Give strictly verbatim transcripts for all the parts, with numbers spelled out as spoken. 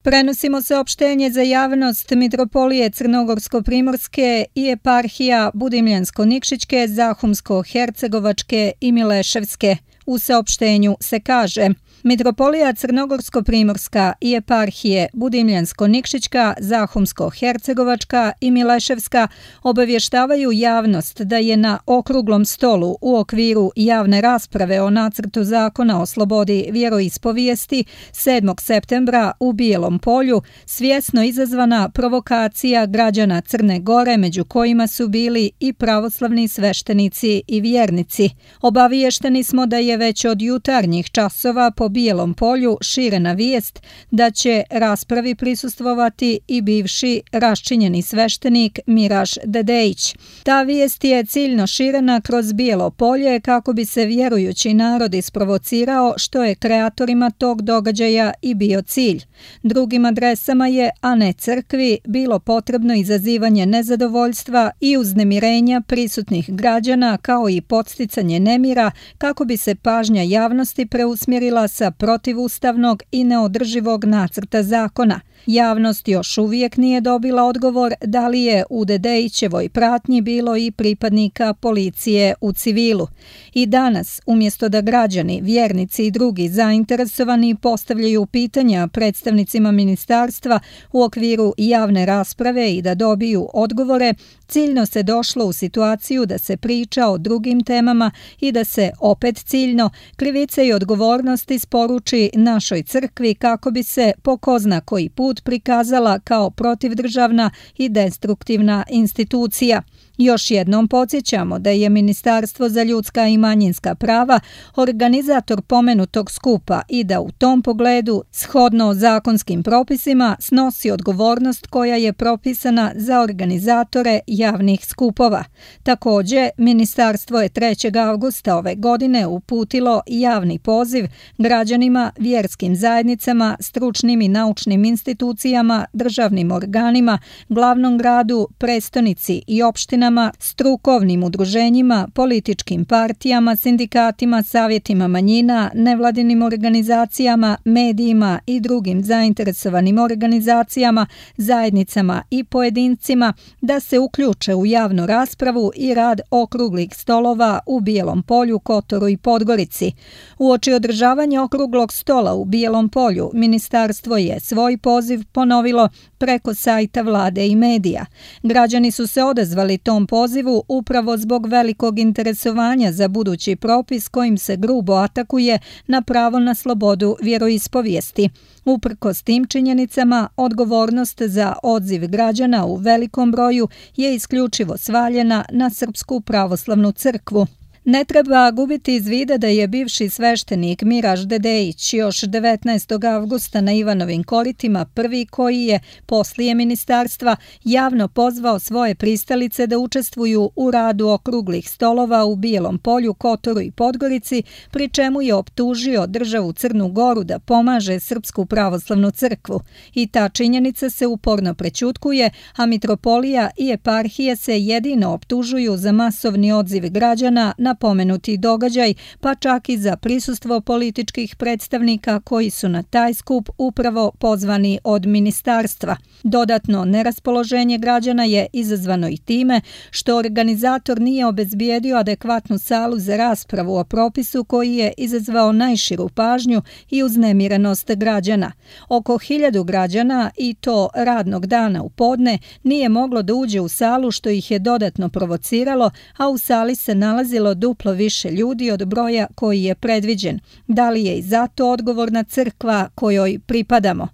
Prenosimo saopštenje za javnost Mitropolije Crnogorsko-primorske i eparhija Budimljansko-Nikšićke, Zahumsko-hercegovačke i Mileševske. U saopštenju se kaže: Mitropolija Crnogorsko-primorska i eparhije Budimljansko-Nikšićka, Zahumsko-hercegovačka i Mileševska obavještavaju javnost da je na okruglom stolu u okviru javne rasprave o nacrtu zakona o slobodi vjeroispovijesti sedmog septembra u Bijelom Polju svjesno izazvana provokacija građana Crne Gore, među kojima su bili i pravoslavni sveštenici i vjernici. Obaviješteni smo da je već od jutarnjih časova po Bijelom Polju širena vijest da će raspravi prisustvovati i bivši raščinjeni sveštenik Miraž Dedejić. Ta vijest je ciljno širena kroz Bijelo Polje kako bi se vjerujući narod isprovocirao, što je kreatorima tog događaja i bio cilj. Drugim adresama je, a ne crkvi, bilo potrebno izazivanje nezadovoljstva i uznemirenja prisutnih građana kao i podsticanje nemira kako bi se pažnja javnosti preusmjerila sa protivustavnog i neodrživog nacrta zakona. Javnost još uvijek nije dobila odgovor da li je u Dedejićevoj pratnji bilo i pripadnika policije u civilu. I danas, umjesto da građani, vjernici i drugi zainteresovani postavljaju pitanja predstavnicima ministarstva u okviru javne rasprave i da dobiju odgovore, ciljno se došlo u situaciju da se priča o drugim temama i da se opet ciljno krivice i odgovornost isporuči našoj crkvi kako bi se po ko zna koji put prikazala kao protivdržavna i destruktivna institucija. Još jednom podsjećamo da je Ministarstvo za ljudska i manjinska prava organizator pomenutog skupa i da u tom pogledu, shodno zakonskim propisima, snosi odgovornost koja je propisana za organizatore javnih skupova. Također, Ministarstvo je trećeg avgusta ove godine uputilo javni poziv građanima, vjerskim zajednicama, stručnim i naučnim institucijama, državnim organima, glavnom gradu, prestonici i opštinama, strukovnim udruženjima, političkim partijama, sindikatima, savjetima manjina, nevladinim organizacijama, medijima i drugim zainteresovanim organizacijama, zajednicama i pojedincima da se uključe u javnu raspravu i rad okruglih stolova u Bijelom Polju, Kotoru i Podgorici. Uoči održavanja okruglog stola u Bijelom Polju, ministarstvo je svoj poziv ponovilo preko sajta vlade i medija. Građani su se odazvali tom pozivu upravo zbog velikog interesovanja za budući propis kojim se grubo atakuje na pravo na slobodu vjeroispovijesti. Uprkos tim činjenicama, odgovornost za odziv građana u velikom broju je isključivo svaljena na Srpsku pravoslavnu crkvu. Ne treba gubiti iz vida da je bivši sveštenik Miraž Dedejić još devetnaestog avgusta na Ivanovim koritima prvi koji je, poslije ministarstva, javno pozvao svoje pristalice da učestvuju u radu okruglih stolova u Bijelom Polju, Kotoru i Podgorici, pri čemu je optužio državu Crnu Goru da pomaže Srpsku pravoslavnu crkvu. I ta činjenica se uporno prećutkuje, a mitropolija i eparhije se jedino optužuju za masovni odziv građana na pomenuti događaj, pa čak i za prisustvo političkih predstavnika koji su na taj skup upravo pozvani od ministarstva. Dodatno neraspoloženje građana je izazvano i time što organizator nije obezbijedio adekvatnu salu za raspravu o propisu koji je izazvao najširu pažnju i uznemirenost građana. Oko hiljadu građana, i to radnog dana u podne, nije moglo da uđe u salu, što ih je dodatno provociralo, a u sali se nalazilo duplo više ljudi od broja koji je predviđen. Da li je i zato odgovorna crkva kojoj pripadamo?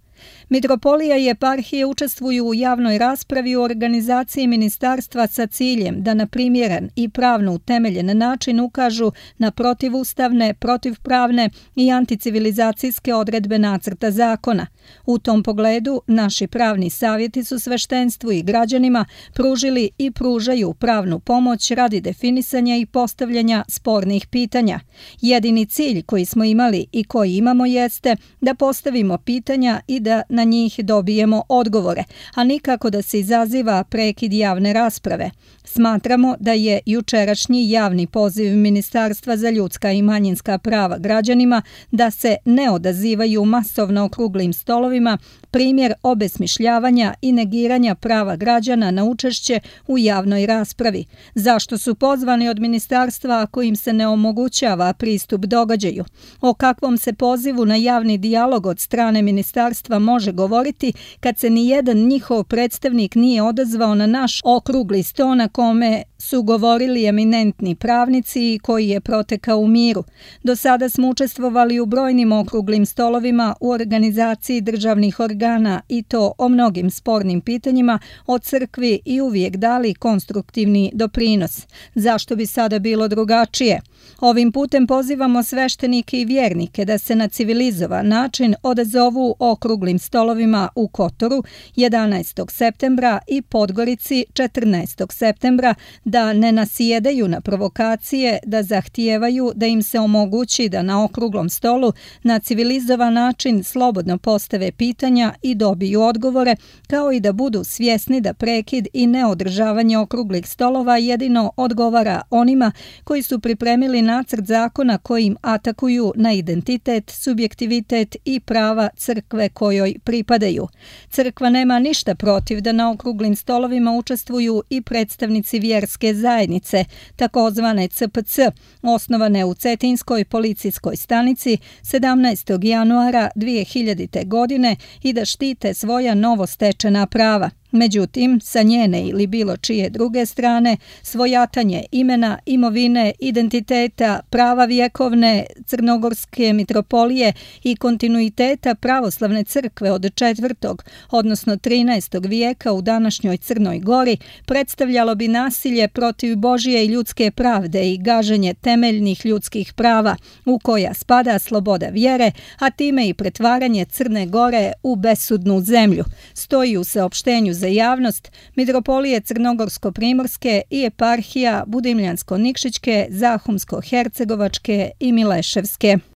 Mitropolija i eparhije učestvuju u javnoj raspravi u organizaciji ministarstva sa ciljem da na primjeren i pravno utemeljen način ukažu na protivustavne, protivpravne i anticivilizacijske odredbe nacrta zakona. U tom pogledu naši pravni savjeti su sveštenstvu i građanima pružili i pružaju pravnu pomoć radi definisanja i postavljanja spornih pitanja. Jedini cilj koji smo imali i koji imamo jeste da postavimo pitanja i da na njih dobijemo odgovore, a nikako da se izaziva prekid javne rasprave. Smatramo da je jučerašnji javni poziv Ministarstva za ljudska i manjinska prava građanima da se ne odazivaju masovno okruglim stolovima primjer obesmišljavanja i negiranja prava građana na učešće u javnoj raspravi. Zašto su pozvani od ministarstva ako im se ne omogućava pristup događaju? O kakvom se pozivu na javni dijalog od strane ministarstva može govoriti kad se ni jedan njihov predstavnik nije odazvao na naš okrugli sto na kome su govorili eminentni pravnici i koji je protekao u miru. Do sada smo učestvovali u brojnim okruglim stolovima u organizaciji državnih organa i to o mnogim spornim pitanjima o crkvi i uvijek dali konstruktivni doprinos. Zašto bi sada bilo drugačije? Ovim putem pozivamo sveštenike i vjernike da se na civilizovan način odazovu okruglim stolovima u Kotoru jedanaestog septembra i Podgorici četrnaestog septembra, da ne nasjedaju na provokacije, da zahtijevaju da im se omogući da na okruglom stolu na civilizovan način slobodno postave pitanja i dobiju odgovore, kao i da budu svjesni da prekid i neodržavanje okruglih stolova jedino odgovara onima koji su pripremili nacrt zakona kojim atakuju na identitet, subjektivitet i prava crkve kojoj pripadaju. Crkva nema ništa protiv da na okruglim stolovima učestvuju i predstavnici vjerske zajednice, takozvane C P C, osnovane u Cetinskoj policijskoj stanici sedamnaestog januara dvije hiljadite. godine i da štite svoja novostečena prava. Međutim, sa njene ili bilo čije druge strane, svojatanje imena, imovine, identiteta, prava vjekovne crnogorske mitropolije i kontinuiteta pravoslavne crkve od četvrtog, odnosno trinaestog vijeka u današnjoj Crnoj Gori predstavljalo bi nasilje protiv Božje i ljudske pravde i gaženje temeljnih ljudskih prava, u koja spada sloboda vjere, a time i pretvaranje Crne Gore u besudnu zemlju, stoji u saopštenju za javnost Mitropolije Crnogorsko-primorske i eparhija Budimljansko-nikšićke, Zahumsko-hercegovačke i Mileševske.